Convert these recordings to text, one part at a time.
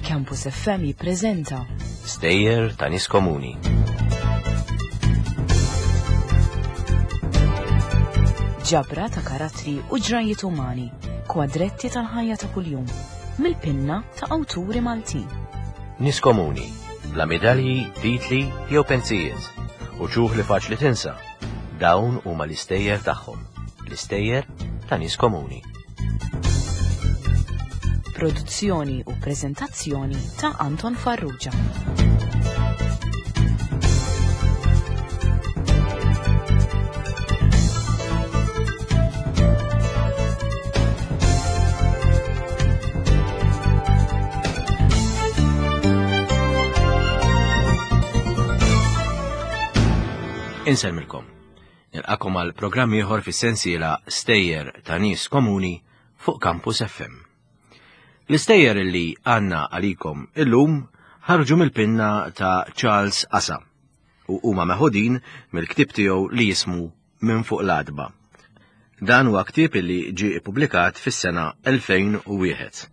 Campus FM jippreżenta Stejjer ta' nies komuni. Ġabra ta' karattri u ġrajiet umani, kwadretti tal-ħajja ta' kuljum, mill-pinna ta' awturi Maltin. Nies komuni, bla medalji, titli jew pensijiet, u ċuħ li faċli tinsa. Dawn huma l-istejjer tagħhom, l-istejjer ta' nies komuni. Produzzjoni u preżentazzjoni ta' Anton Farrugia. Insellmilkom. Nilqakom għal programm ieħor fis-sensiela Stejjer ta' nies komuni fuq Campus FM. L-istejjer li għandna għalikom illum ħarġu mill-pinna ta' Charles Asa u huma meħudin mill-ktieb tiegħu li jismu Minn fuq l-għatba. Dan huwa ktieb li ġie ippubblikat fis-sena 2001.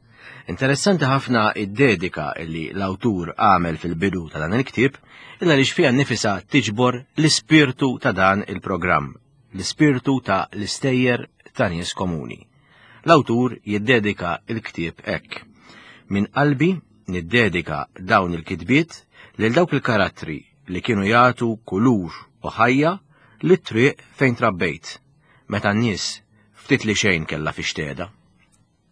Interessanti ħafna id-dedika li l-awtur għamel fil-bidu ta' dan il-ktieb illa li fiha nnifisha tiġbor l-ispirtu ta' dan il-programm, l-ispirtu ta' l-istejjer ta' nies komuni. L-awtur jiddedika il-ktieb hekk. Minn qalbi niddedika dawn il-kitbiet lil dawk il-karattri li kienu jagħtu kulur u ħajja lit-triq fejn trabbejt, meta n-nies ftit li xejn kellha fiex tgħeda.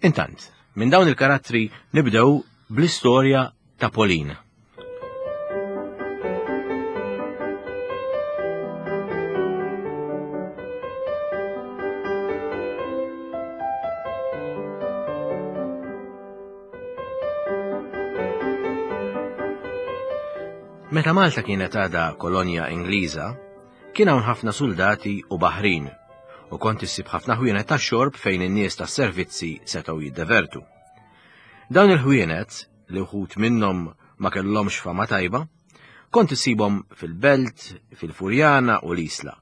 Intant, minn dawn il-karattri nibdew bl-istorja ta' Pauline. Meta Malta kienet għadha kolonja Ingliża, kien hawn ħafna suldati u baħrin u kont issib ħafna ħwienet tax-xorb fejn in-nies tas-servizzi setgħu jiddevertu. Dawn il-ħwienet, li wħud minnhom ma kellhomx fama tajba, kont issibhom fil-Belt, fil-Furjana u l-Isla.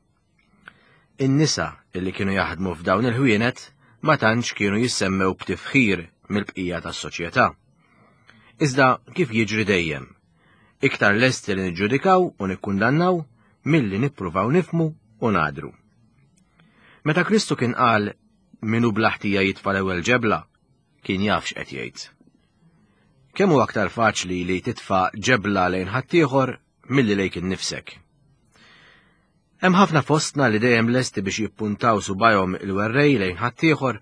In-nisa li kienu jaħdmu f'dawn il-ħwienet ma tantx kienu jissemmew b'tifħir mill-bqija tas-soċjetà. Iżda kif jiġri dejjem, iktar lesti li niġġudikaw u nikkundannaw milli nippruvaw nifmu u nadru. Meta Kristu kien qal minu bla ħtija jitfa' l-ewwel ġebla, kien jaf x'qed jgħid. Kemm hu aktar faċli li titfa' ġebla lejn ħaddieħor milli lejk innifsek. Hemm ħafna fostna li dejjem lesti biex jippuntaw subajhom il-werrej lejn ħaddieħor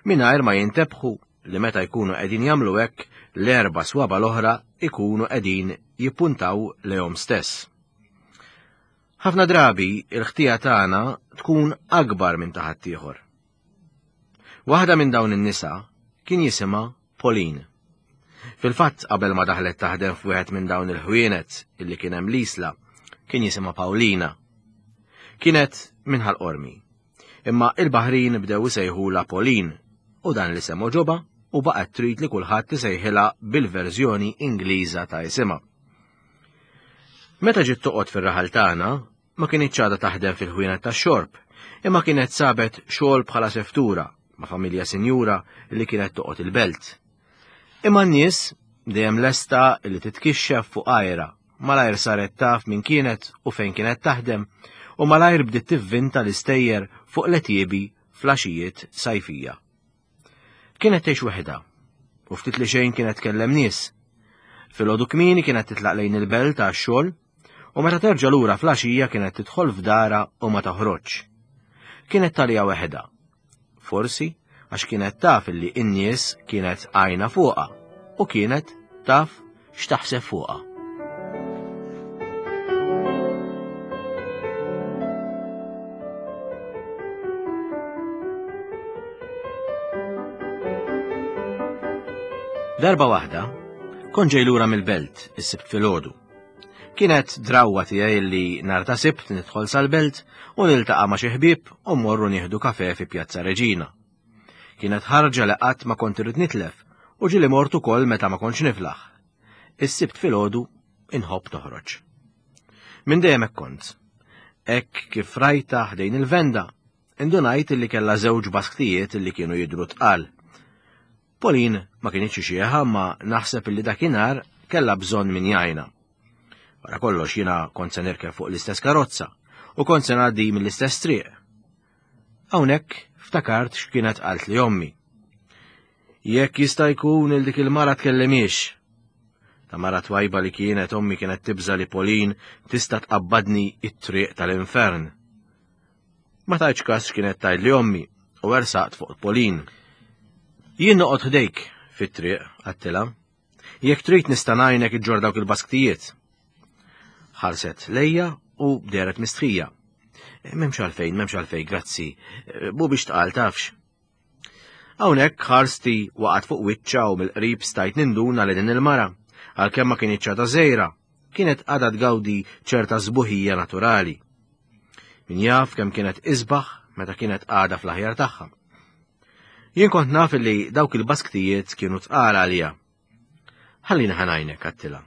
mingħajr ma jintebħu li meta jkunu qegħdin jagħmlu hekk l-erba' swaba l-oħra ikunu qegħdin jippuntaw lejhom stess. Ħafna drabi il-ħtija tagħna tkun akbar minn ta' ħaddieħor. Waħda minn dawn in-nisa kien jisimha Pauline. Fil-fatt qabel ma daħlet taħdem f'wieħed minn dawn il-ħwienet illi kien hemm l-Isla, kien jisimha Paulina. Kienet minn Ħal Qormi. Imma il-Baħrin bdew isejħulha Pauline u dan l-isem għoġobha u baqgħet trid li kulħadd isejħilha bil-verżjoni Ingliża ta' isimha. Meta ġiet toqgħod fir-raħal tagħna, ma kinitx għadha taħdem fil-ħwienet tax-xorb, imma kienet sabet xogħol bħala seftura ma' familja sinjura li kienet toqgħod il-belt. Imma n-nies dejjem lesta li titkixxef fuq għajra, malajr saret taf min kienet u fejn kienet taħdem, u malajr bdiet tivvinta l-istejjer fuq l-etiebi flaxijiet sajfija. Kienet tgħix weħidha u ftit li xejn kienet tkellem nies. Filgħodu kmieni kienet titlaq lejn il-belt għax-xogħol u meta terġa' lura fl-għaxija kienet tidħol f'dara u ma toħroġx. Kienet talija weħidha. Forsi għax kienet taf illi n-nies kienet għajna fuqha u kienet taf x'taħseb fuqha. Darba waħda, kont ġej lura mill-belt is-Sibt filgħodu. Kienet drawwa tiegħi li nhar ta' Sibt nidħol sal-belt u niltaqa' ma' xi ħbieb u mmorru nieħdu kafe fi Pjazza Reġina. Kienet ħarġa li qatt ma kont irrid nitlef u ġieli mort ukoll meta ma kontx niflaħ. Is-Sibt filgħodu inħobb noħroġ. Minn dejjem hekk kont. Hekk kif rajta ħdejn il-venda, Indunajt li kellha żewġ basktijiet li kienu jidhru tqal. Pauline ma kinitx xieħa ma naħseb li dakinhar kellha bżonn min jgħinha. Wara kollox jiena kont se nirkeb fuq l-istess karozza u kont se ngħaddi mill-istess triq. Hawnhekk ftakart x'kienet qalt li ommi. Jekk jista' jkun il dik il-mara tkellimiex. Ta' mara twajba li kienet ommi kienet tibża li Pauline tista' tqabbadni it-triq tal-infern. Ma tajtx kas x'kienet tgħidli ommi u ersaqt fuq Pauline. Jien noqgħod ħdejk fit-triq, għattilha. Jekk trid nista' ngħinek iġġor dawk il-basktijiet. Ħarset lejja u deret mistħija. M'hemmx għalfejn, m'hemmx għalfejn, grazzi. Bu biex tqal tafx. Hawnhekk ħarsti waqgħet fuq wiċċa u mill-qrib stajt ninduna li din il-mara, għalkemm ma kinitx għadha żgħira, kienet għadha tgawdi ċerta sbuħija naturali. Min jaf kemm kienet isbaħ meta kienet għadha fl-aħjar tagħha. Jien kont naf li dawk il-basktijiet kienu tqal għalija. Ħallini ħanajnek għattilha.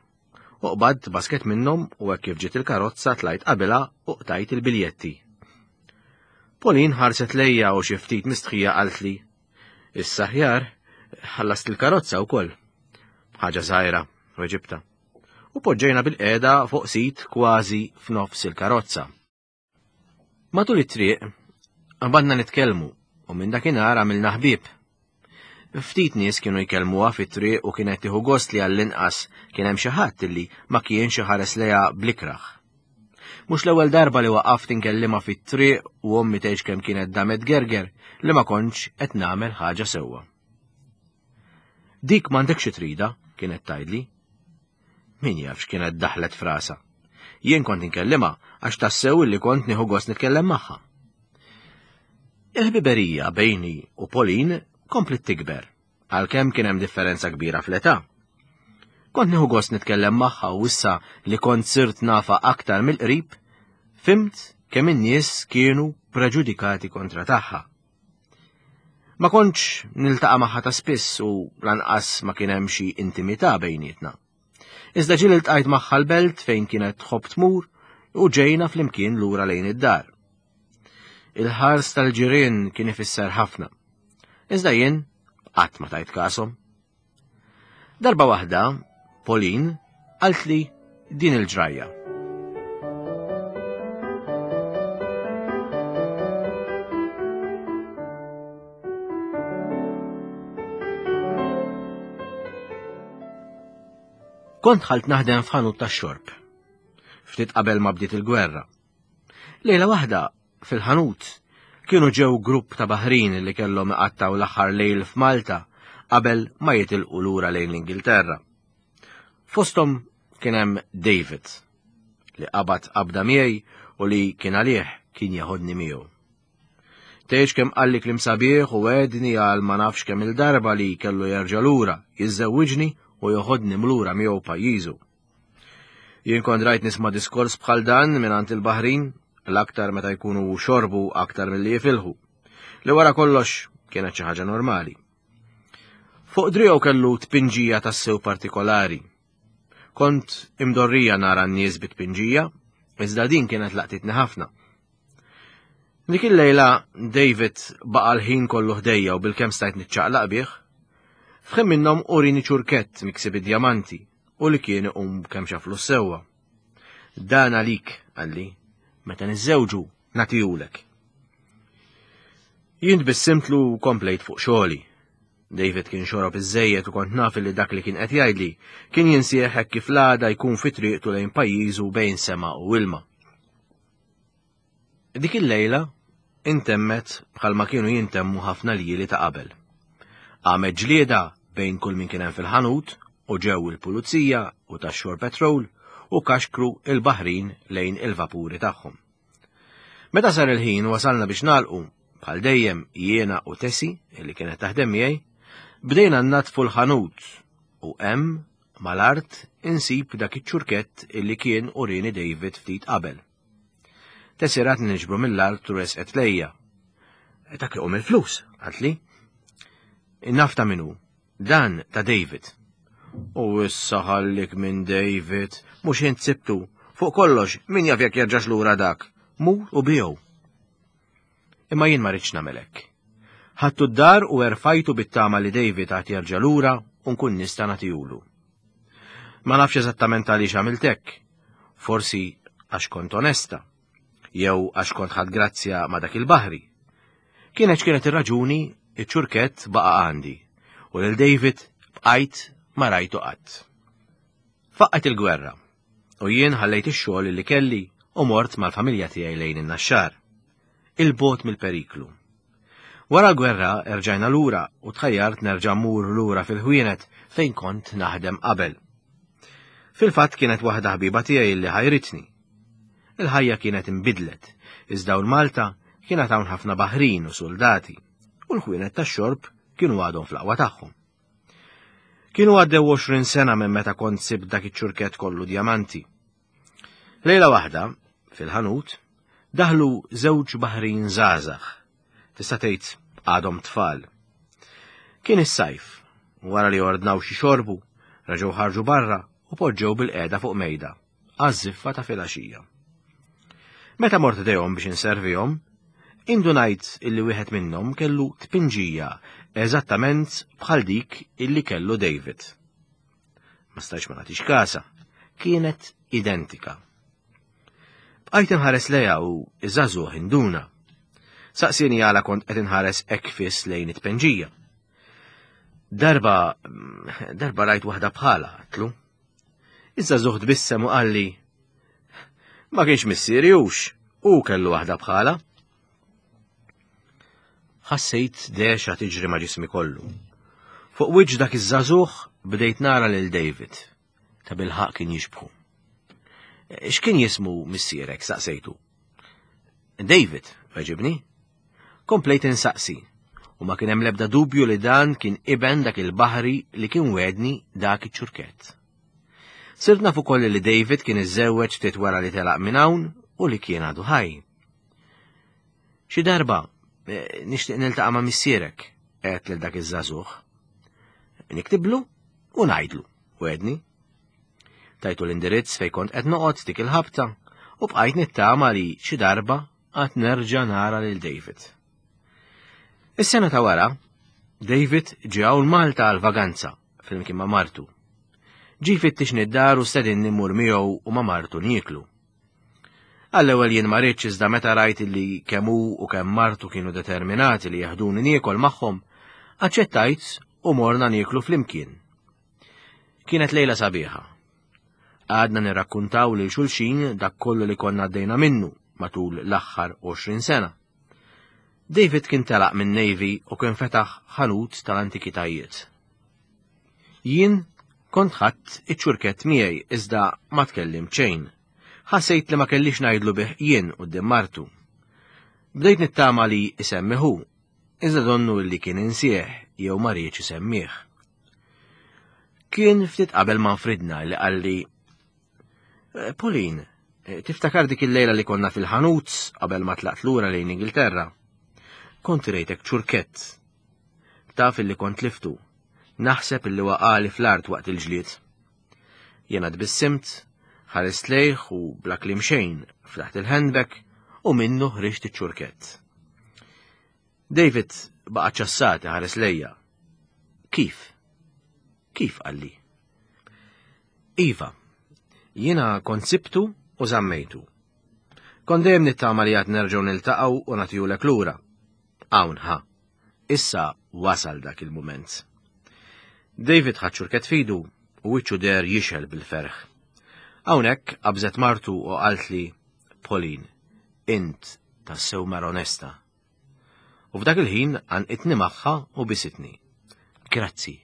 U qbadt basket minnhom u hekk kif ġiet il-karozza tlajt qabilha u qtajt il-biljetti. Pauline ħarset lejja u xi ftit mistħija qaltli, Issa ħjar, ħallast il-karozza wkoll. Ħaġa żgħira, weġibta. U poġġejna bil-qiegħda fuq sit kważi f'nofs il-karozza. Matul it-triq, qabadna nitkellmu u minn dakinhar għamilna ħbieb. Ftit nies kienu jkellmuha fit-triq u kienet tieħu gost li għall-inqas kien hemm xi ħadd li ma kienx iħares lejha blikraħ. Mhux l-ewwel darba li waqaft inkellimha fit-triq u ommi tgħix kemm kienet damet gerger li ma kontx qed nagħmel ħaġa sewwa. Dik m'għandekx xi trida, kienet tgħidli. Min jaf x'kienet daħlet frasa. Jien kont inkellimha għax tassew li kont nieħu gost nitkellem magħha. Il-ħbiberija bejni u Pauline komplet tikber, għalkemm kien hemm differenza kbira fl-età. Kont nieħu gost nitkellem magħha u issa li kont sirt nafa aktar mill-qrib, fimt kemm in-nies kienu preġudikati kontra tagħha. Ma kontx niltaqa' magħha ta' spiss u lanqas ma kien hemm xi intimità bejnietna. Iżda ġieli ltqajt magħha l-belt fejn kienet tħobb tmur u ġejna flimkien lura lejn id-dar. Il-ħars tal-ġirien kien ifisser ħafna. Iżda jien qatt ma tajt kasom. Darba waħda, Pauline qaltli din il-ġrajja. Kont ħalt naħdem f'ħanut tax-xorb. Ftit qabel ma bdiet il-gwerra. Lejla waħda fil-ħanut kienu ġew grupp ta' baħrin li kellhom iqattgħu l-aħħar lejl f'Malta qabel ma jitilqu lura lejn l-Ingilterra. Fosthom kien hemm David li qabad qabda miegħi u li kien għalih kien jeħodni miegħu. Tgħidx kemm qalli kliem sabiħ u għedni għal ma nafx kemm il-darba li kellu jerġa' lura, jiżżewwiġni u joħodni mlura miegħu pajjiżu. Jien kont rajt nisma' diskors bħal dan mingħand il-baħrin, l-aktar meta jkunu xorbu aktar milli jifilħu. Li wara kollox kienet xi ħaġa normali. Fuq driegħu kellu tpinġija tassew partikolari. Kont imdorrija nara n-nies bit-tpinġija, iżda din kienet laqtitni ħafna. Dik il-lejla David baqa' l-ħin kollu ħdejja u bilkemm stajt niċċaqlaq bih. F'ħin minnhom urini ċurkett miksi bid-djamanti u li kien iqum kemm xaflu sewwa. Dan għalik, qalli, meta niżżewġu nagħtihulek. Jien tbissimtlu u komplejt fuq xogħli. David kien xorob iżżejjed u kont naf li dak li kien qed jgħidli kien jinsieħ hekk kif l-għada jkun fi triqtu lejn pajjiżu bejn sema u ilma. Dik il-lejla intemmet bħalma kienu jintemmu ħafna ljieli ta' qabel. Qamet ġlieda bejn kull min kien hemm fil-ħanut u ġew il-pulizija u tax-shore patrol u kaxkru il-baħrin lejn il-vapuri tagħhom. Meta sar il-ħin wasalna biex nagħlqu, bħal dejjem jiena u Tessie, li kienet taħdem miegħi, bdejna nnadfu l-ħanut u hemm mal-art insib dak iċ-ċurkett illi kien urini David ftit qabel. Tessie ratni niġbru mill-art u resqet lejja. Dak iqum il-flus, qaltli. Naf ta' min hu. Dan ta' David. U issa ħallik minn David, mhux int sibtu. Fuq kollox, min jaf jekk jerġax lura dak. Mur u biegħu. Imma jien ma ridtx nagħmel hekk. Ħadtu d-dar u erfajtu bit-tama li David għad jerġa' lura u nkun nista' nagħtihulu. Ma nafx eżattament għaliex għamilt hekk. Forsi għax kont onesta, jew għax kont ħadt grazzja ma' dak il-baħri. Kienet x'kienet ir-raġuni, iċ-ċurkett baqa' għandi u lil David bqajt ma rajtu qatt. Faqqgħet il-gwerra u jien ħallejt ix-xogħol li kelli u mort mal-familja tiegħi lejn in-Naxxar. 'il bogħod mill-periklu. Wara l-gwerra erġajna lura u tħajjart nerġa' mmur lura fil-ħwienet fejn kont naħdem qabel. Fil-fatt kienet waħda ħbiba tiegħi li ħajritni. Il-ħajja kienet inbidlet, iżda hawn Malta kien għad hawn ħafna baħrin u suldati, u l-ħwienet tax-xorb kienu għadhom fl-aqwa tagħhom. Kienu għaddew 20 sena minn meta kont sibt dak iċ-ċurkett kollu djamanti. Lejla waħda, fil-ħanut, daħlu żewġ baħrin żgħażagħ. Tista' tgħid għadhom tfal. Kien is-sajf, wara li ordnaw xi xorbu, reġgħu ħarġu barra u poġġew bil-qiegħda fuq mejda għaż-żiffa ta' filgħaxija. Meta mort dejhom biex inservihom, indunajt illi wieħed minnhom kellu tpinġija eżattament bħal dik illi kellu David. Ma stajx ma nagħtix kasa, kienet identika. Bqajt inħares lejha u iż-żagħżugħ induna. Saqsieni għala kont qed inħares hekk fiss lejn it-tpenġija. Darba, darba rajt waħda bħala, għatlu. Iż-żagħżugħ tbissem u qalli, Ma kienx missieri hux, u kellu waħda bħala. Ħassejt dexa tiġri ma' ġismi kollu. Fuq wiċċ dak iż-żagħżugħ bdejt nara lil David. Ta' bilħaq kien jixbħu. X'kien jismu missierek saqsejtu? David, weġibni. Komplejt insaqsi, u ma kien hemm l-ebda dubju li dan kien iben dak il-baħri li kien wedni dak iċ-ċurkett. Sirt naf ukoll li David kien iżżewweġ ftit wara li telaq minn hawn u li kien għadu ħaj. Xi darba eh, nixtieq niltaqa' ma' missierek, għedt lil dak iż-żagħżugħ. Niktiblu u ngħidlu, wedni. Tajtu l-indirizz fejn kont qed noqgħod dik il-ħabta u bqajt nittama li xi darba għad nerġa' nara lil David. Is-sena ta' wara, David ġie hawn Malta għal vaganza flimkien ma' martu. Ġie jfittixni d-dar u stedinni mmur miegħu u ma' martu nieklu. Għall-ewwel jien ma ridtx iżda meta rajt li kemm hu u kemm martu kienu determinati li jeħduni niekol magħhom, aċċettajt u morna nieklu flimkien. Kienet lejla sabiħa. Għadna nirrakkuntaw lil xulxin dak kollu li konna għaddejna minnu matul l-aħħar 20 sena. David kien telaq minn Navy u kien fetaħ ħanut tal-antikitajiet. Jien kont ħadd iċ-ċurkett miegħi iżda ma tkellimt xejn. Ħassejt li ma kellix ngħidlu bih jien quddiem martu. Bdejt nittama li isemmi hu, iżda donnu li kien insieħ jew ma riedx isemmih. Kien ftit qabel ma nfridna li qalli eh, Pauline, eh, tiftakar dik il-lejla li konna fil-ħanut qabel ma tlaqt lura lejn Ingilterra? Kont rejtek ċurkett. Taf illi kont liftu. Naħseb illi waqali fl-art waqt il-ġlied. Jena tbissimt, ħarist lejh u bla kliem xejn ftaħt il-handbag u minnu ħriġt iċ-ċurkett. David baqa' ċassat iħares lejja. Kif? Kif qalli? Iva, jiena kont sibtu u żammejtu. Kont dejjem nittama li għad nerġgħu niltaqgħu u nagħtihulek lura. Hawn ħa. Issa wasal dak il-mument. David ħa ċurkett f'idu u wiċċu deher jixgħel bil-ferħ. Hawnhekk qabżet martu u qaltli, Pauline, int tassew mara onesta. U f'dak il-ħin għanqitni magħha u bisitni. Grazzi,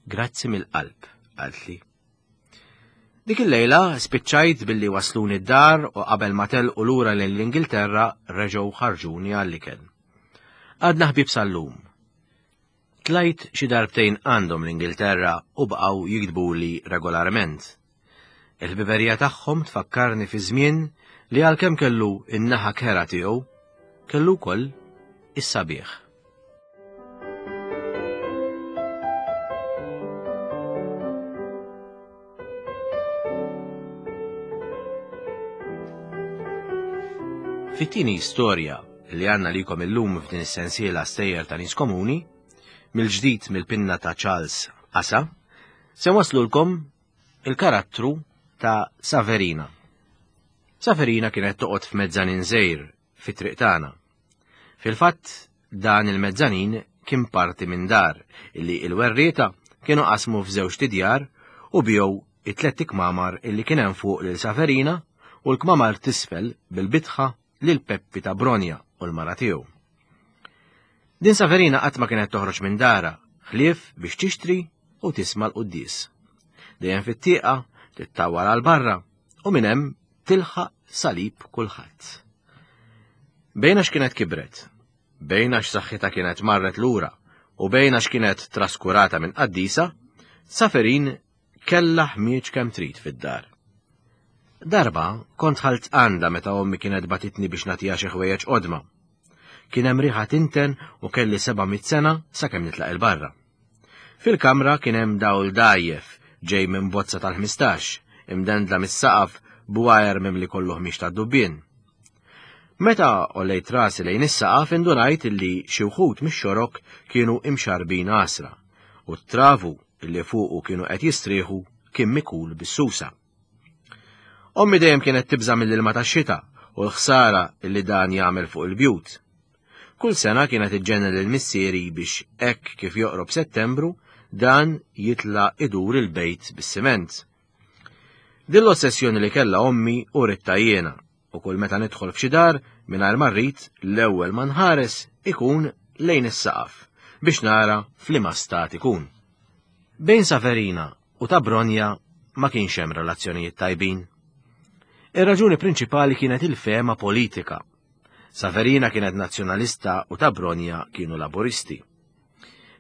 grazzi mill-qalb, qaltli. Dik il-lejla spiċċajt billi wasluni d-dar u qabel ma telqu lura lejn l-Ingilterra reġgħu ħarġuni għall-ikel. Għadna ħbieb sal-lum. Tlajt xi darbtejn għandhom l-Ingilterra u baqgħu jiktbuli regolarment. Il-ħbiberija tagħhom tfakkarni fi żmien li għalkemm kellu n-naħa kerha tiegħu, kellu wkoll is-sabiħ. Fit-tieni storja. li għandna likom illum f'din is-sensiela stejjer ta' nies komuni, mill-ġdid mill-pinna ta' Charles Asa, se waslulkom il-karattru ta' Saverina. Saverina kienet toqgħod f'mezzanin żgħir fit-triq tagħna. Fil-fatt, dan il-mezzanin kien parti minn dar illi il-werrieta kienu qasmu f'żewġ tidjar u bijow it-tlett ikmamar illi kien hemm fuq lil Saverina u l-kmamar t'isfel bil-bitħa lil Peppi ta' Bronja u l-mara tiegħu. Din Saverina qatt ma kienet toħroġ minn dara, ħlief biex tixtri u tisma' l-quddies. Dejjem fit-tieqa, tittawwar għal barra u minn hemm tilħaq salib kulħadd. Bejn għax kienet kibret, bejn għax saħħitha kienet marret lura u bejn għax kienet traskurata minn qaddisa, Saferin kellha ħmieġ kemm trid fid-dar. Darba kont ħalt għandha meta ommi kienet batitni biex nagħtiha xi ħwejjeġ qodma. Kien hemm riħa tinten u kelli 700 sena sakemm nitlaq il-barra. Fil-kamra kien hemm dawl dgħajjef ġej minn bozza tal-15, imdendla mis-saqaf b'wajer mimli kollu ħmiex tad-dubbien. Meta għollejt rasi lejn is-saqaf indunajt illi xi wħud mix-xorok kienu imxarbin għasra u t-travu illi fuqu kienu qed jistrieħu kien mikul bis-susa. Ommi dejjem kienet tibża' mill-ilma tax-xita u l-ħsara illi dan jagħmel fuq il-bjut. Kull sena kienet iġġennen lil missieri biex hekk kif joqrob Settembru dan jitla' idur il-bejt bis-siment. Din l-ossessjoni li kellha ommi u ridtha jiena u kull meta nidħol f'xi dar mingħajr ma rrid l-ewwel ma nħares ikun lejn is-saqaf biex nara f'liema stat ikun. Bejn Saverina u ta' Bronja ma kienx hemm relazzjonijiet tajbin. Ir-raġuni prinċipali kienet il-fehma politika. Saverina kienet nazzjonalista u ta' Bronja kienu laburisti.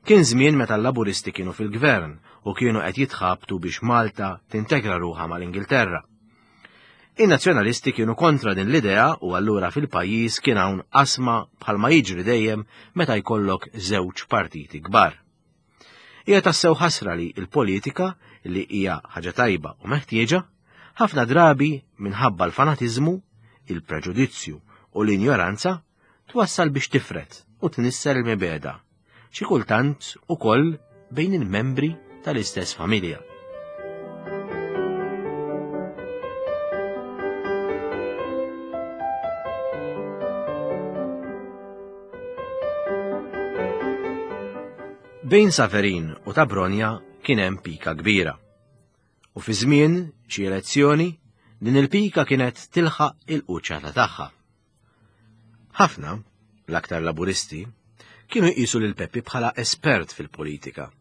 Kien żmien meta l-laburisti kienu fil-gvern u kienu qed jitħabtu biex Malta tintegra ruħha mal-Ingilterra. In-nazzjonalisti kienu kontra din l-idea u allura fil-pajjiż kien hawn qasma bħalma jiġri dejjem meta jkollok żewġ partiti kbar. Hija tassew ħasra li l-politika, li hija ħaġa tajba u meħtieġa, ħafna drabi minħabba l-fanatiżmu, il-preġudizzju u l-injoranza twassal biex tifred u tnissel il-mibegħda, xi kultant ukoll bejn il-membri tal-istess familja. Bejn Saverin u ta' Bronja kien hemm pika kbira. U fi żmien xi elezzjoni din il-pika kienet tilħaq il-quċċata tagħha. Ħafna, l-aktar Laburisti, kienu jqisu lil Peppi bħala espert fil-politika.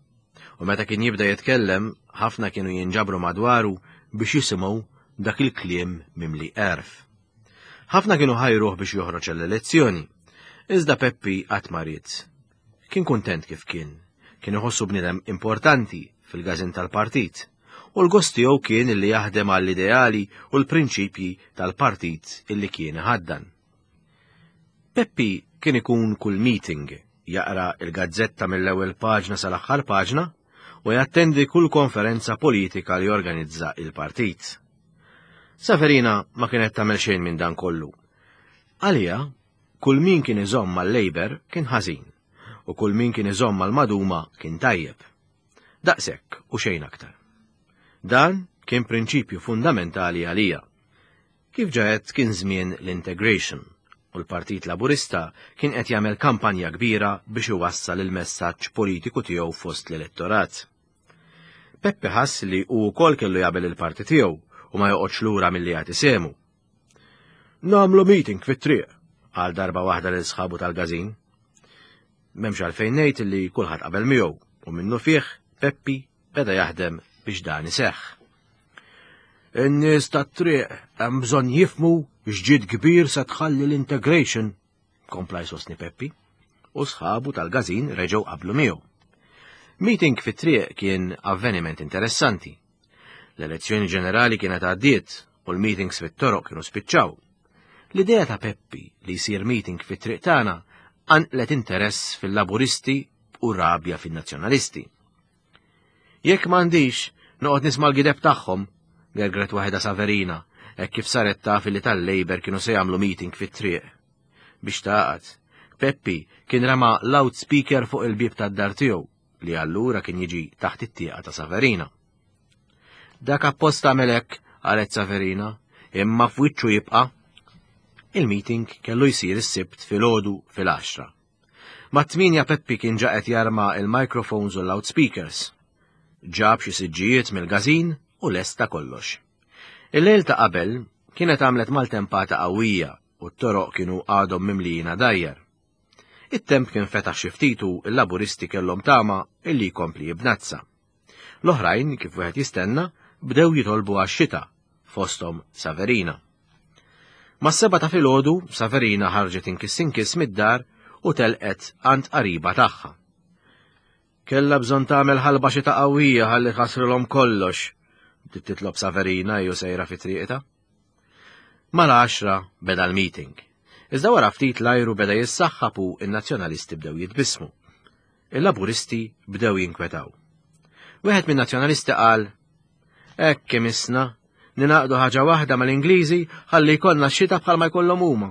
U meta kien jibda jitkellem, ħafna kienu jinġabru madwaru biex jisimgħu dak il-kliem mimli għerf. Ħafna kienu ħajruh biex joħroġ l-elezzjoni, iżda Peppi qatt ma ried. Kien kuntent kif kien, kien iħossu bniedem importanti fil-gażin tal-partit, u l-gost tiegħu kien illi jaħdem għall-ideali u l-prinċipji tal-partit illi kien iħaddan. Peppi kien ikun kull meeting, jaqra il-gazzetta mill-ewwel paġna sal-aħħar paġna u jattendi kull konferenza politika li jorganizza il-partit. Saverina ma kienet tagħmel xejn minn dan kollu. Għalija, kull min kien iżomm mal-Labour kien ħażin u kull min kien iżomm mal-Maduma kien tajjeb. Daqshekk u xejn aktar. Dan kien prinċipju fundamentali għalija. Kif ġa għedt kien żmien l-integration u l-Partit Laburista kien qed jagħmel kampanja kbira biex iwassal il-messaġġ politiku tiegħu fost l-elettorat. Peppi ħass li hu wkoll kellu jagħmel il-parti tiegħu u ma joqgħodx lura milli jagħti sehmu. Nagħmlu meeting fit-triq, qal darba waħda lil sħabu tal-gażin. M'hemmx għalfejn ngħid li kulħadd qabel miegħu u minnu fih Peppi beda jaħdem biex dan iseħħ. In-nies tat-triq hemm bżonn jifmu x'ġid kbir se tħalli l-integration, kompla jsostni Peppi, u sħabu tal-gażin reġgħu qablu miegħu. Meeting fit-triq kien avveniment interessanti. L-elezzjoni ġenerali kienet għaddiet u l-meetings fit-toroq kienu spiċċaw. L-idea ta' Peppi li jsir meeting fit-triq tagħna qanqlet interess fil-Laburisti u rabja fin-Nazzjonalisti. Jekk m'għandix, noqgħod nisma' l-gideb tagħhom, gergret waħedha Saverina, hekk kif saret taf li tal-Labour kienu se jagħmlu meeting fit-triq. Biex tagħqad, Peppi kien rama loudspeaker fuq il-bieb tad-dar tiegħu li allura kien jiġi taħt it-tieqa ta' Saverina. Dak apposta għamel hekk, qalet Saverina, imma f'wiċċu jibqa'. Il-meeting kellu jsir is-Sibt filgħodu fil-għaxra. Mat-tmienja Peppi kien ġa qed jarma il-microphones u l-loudspeakers. Ġab xi siġġijiet mill-każin u lesta kollox. Il-lejl ta' qabel kienet għamlet maltempata qawwija u t-toroq kienu għadhom mimlijin għadajjar. It-temp kien fetaħ xi ftit u l-Laburisti kellhom tama illi jkompli jibnazza. L-oħrajn, kif wieħed jistenna, bdew jitolbu għax-xita, fosthom Saverina. Mas-seba ta' filgħodu, Saverina ħarġet inkiss inkiss mid-dar u telqet għand qariba tagħha. Kellha bżonn tagħmel ħalba xita qawwija ħalli tħassrilhom kollox, bdiet titlob Saverina jew sejra fi triqitha. Mal-għaxra beda l-meeting. Iżda wara ftit l-ajru beda jissaħħab u n-Nazzjonalisti bdew jitbissmu. Il-Laburisti bdew jinkwetaw. Wieħed min-Nazzjonalisti qal, Hekk imissna, ninaqdu ħaġa waħda mal-Ingliżi ħalli jkollna x-xita bħalma jkollhom huma.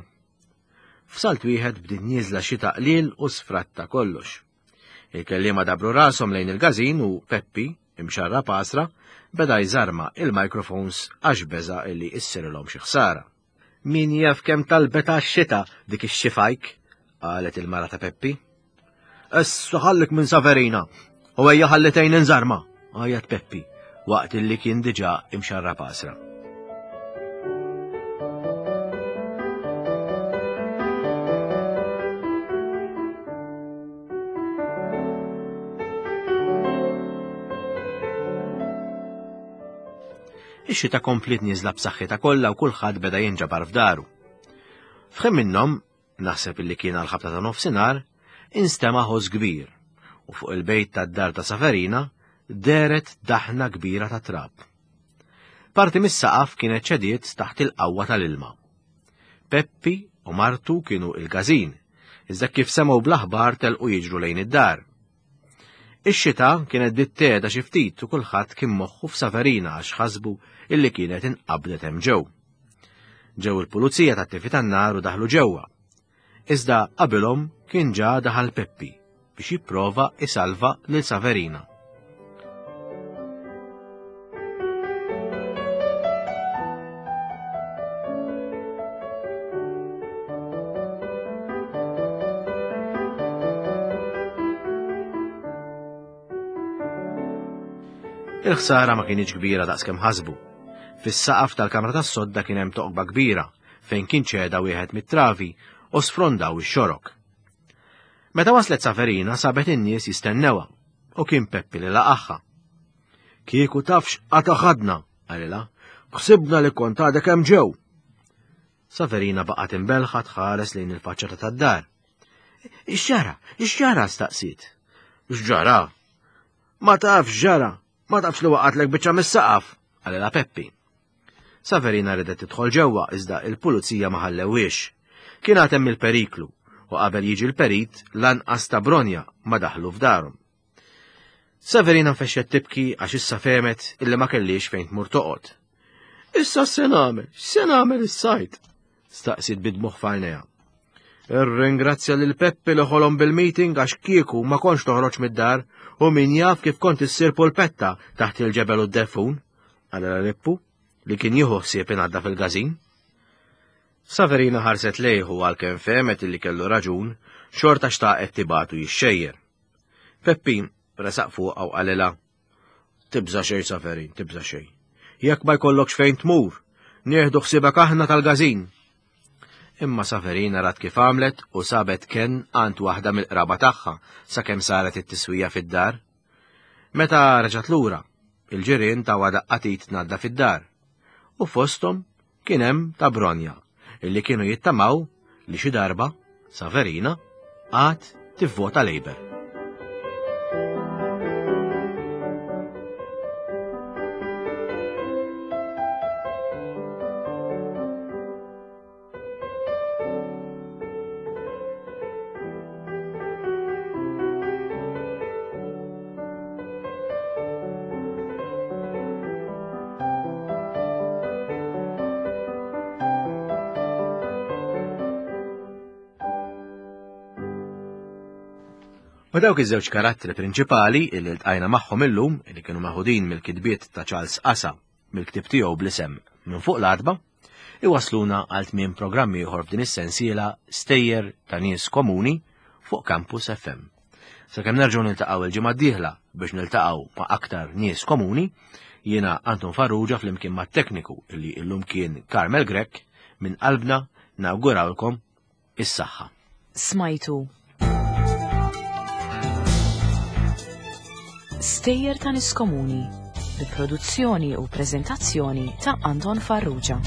F'salt wieħed bdiet nieżla xita qliel u sfratta kollox. Il-kelliema dabru rashom lejn il-każin u Peppi, imxarrab għasra, beda jżarma il-microphones għax beża' illi issirilhom xi ħsara. Min jaf kemm talbet għax-xita dik ix-xifajk, qalet il-mara ta' Peppi. Issa ħallik minn Saverina u ejja ħalli tgħin inżarma, għajat Peppi waqt illi kien diġà imxarrab għasra. Ix-xita kompliet nieżla b'saħħitha kollha u kulħadd beda jinġabar f'daru. F'ħin minnhom, naħseb illi kien għal ħabta ta' nofsinhar, instema' ħoss kbir u fuq il-bejt tad-dar ta' Saverina dehret daħna kbira ta' trab. Parti mis-saqaf kienet ċediet taħt il-qawwa tal-ilma. Peppi u martu kienu il-każin, iżda kif semgħu bl-aħbar telqu jiġru lejn id-dar. Ix-xita kienet bdiet tgħeda xi ftit u kulħadd kien moħħu f'Saverina għax ħasbu illi kienet inqabdet hemm ġew. Ġew il-pulizija tat-tifi tan-nar u daħlu ġewwa. Iżda qabilhom kien ġa daħal Peppi biex jipprova isalva lil Saverina. Il-ħsara ma kienx kbira daqskemm ħasbu. Fis-saqaf tal-kamra tas-sodda kien hemm toqba kbira fejn kien ċeda wieħed mit-travi u sfrondaw ix-xorok. Meta waslet Saverina sabet in-nies jistennewha u kien Peppi li laqagħha. Kieku tafx qata ħadna, qalilha, ħsibna li kont għadek hemm ġew. Saverina baqgħet imbelħa tħares lejn il-faċċata tad-dar. X'ġara? X'ġara? staqsiet. X'ġara? Ma tafx ġara, ma tafx li waqatlek biċċa mis-saqaf, qalilha Peppi. Saverina ridet tidħol ġewwa iżda il-pulizija ma ħallewhiex. Kien għad hemm il-periklu u qabel jiġi l-perit lanqas ta' Bronja ma daħlu f'darhom. Saverina nfexxet tibki għax issa fehmet illi ma kellix fejn tmur toqgħod. Issa se nagħmel, se nagħmel is-sajt? Staqsiet bid-dmugħ f'għajnejha. Irringrazzja lil Peppi li ħolom bil-meeting għax kieku ma kontx toħroġ mid-dar u min jaf kif kont issir pulpetta taħt il-ġebel u d-deffun, qalilha Lippu, li kien jieħu ħsieb ingħadda fil-każin. Saverina ħarset lejh u għalkemm fehmet illi kellu raġun, xorta xtaqet tibgħatu jixxejjer. Peppi resaq fuqha u qalilha, Tibża' xejn Saverin, tibża' xejn. Jekk ma jkollokx fejn tmur, nieħdu ħsiebek aħna tal-gażin. Imma Saverina rat kif għamlet u sabet kenn għand waħda mill-qraba tagħha sakemm saret it-tiswija fid-dar. Meta reġgħet lura, il-ġirien tawha daqqa t'id tnaddaf id-dar. U fosthom Kien hemm ta' Bronja, illi kienu jittamaw li xi darba Saverina għad tivvota Labour. Ma dawk iż-żewġ karattri prinċipali li ltqajna magħhom illum, li kienu meħudin mill-kitbiet ta' Charles Asa mill-ktieb tiegħu bl-isem Minn fuq l-għatba, iwasluna għal tmiem programm ieħor f'din is-sensiela Stejjer ta' Nies Komuni fuq Campus FM. Sakemm nerġgħu niltaqgħu il-ġimgħa d-dieħla biex niltaqgħu ma' aktar nies komuni, jiena Anton Farrugia flimkien mat-tekniku li illum kien Carmel Grech minn qalbna nawgurawlkom is-saħħa. Smajtu Stejjer ta' Nies Komuni bi produzzjoni u preżentazzjoni ta' Anton Farrugia.